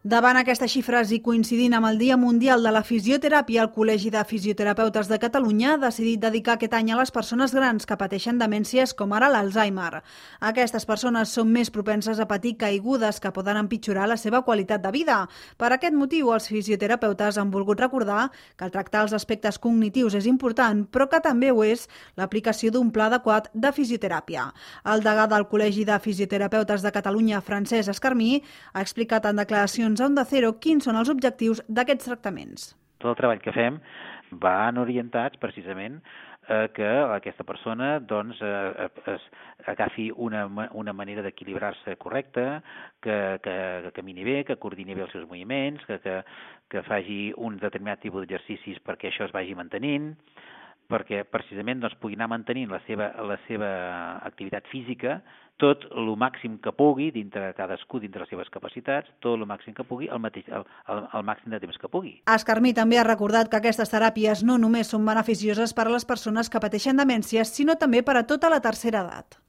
Davant aquestes xifres i coincidint amb el Dia Mundial de la Fisioteràpia, el Col·legi de Fisioterapeutes de Catalunya ha decidit dedicar aquest any a les persones grans que pateixen demències com ara l'Alzheimer. Aquestes persones són més propenses a patir caigudes que poden empitjorar la seva qualitat de vida. Per aquest motiu, els fisioterapeutes han volgut recordar que el tractar els aspectes cognitius és important, però que també ho és l'aplicació d'un pla adequat de fisioteràpia. El degà del Col·legi de Fisioterapeutes de Catalunya, Francesc Escarmí, ha explicat en declaracions a Onda Cero quins són els objectius d'aquests tractaments. Tot el treball que fem van orientats precisament que aquesta persona agafi una manera d'equilibrar-se correcta, que camini bé, que coordini bé els seus moviments, que faci un determinat tipus d'exercicis perquè això es vagi mantenint, perquè precisament pugui anar mantenint la seva activitat física tot el màxim que pugui, dintre cadascú, dintre les seves capacitats, tot el màxim que pugui, el màxim de temps que pugui. Escarmí també ha recordat que aquestes teràpies no només són beneficioses per a les persones que pateixen demències, sinó també per a tota la tercera edat.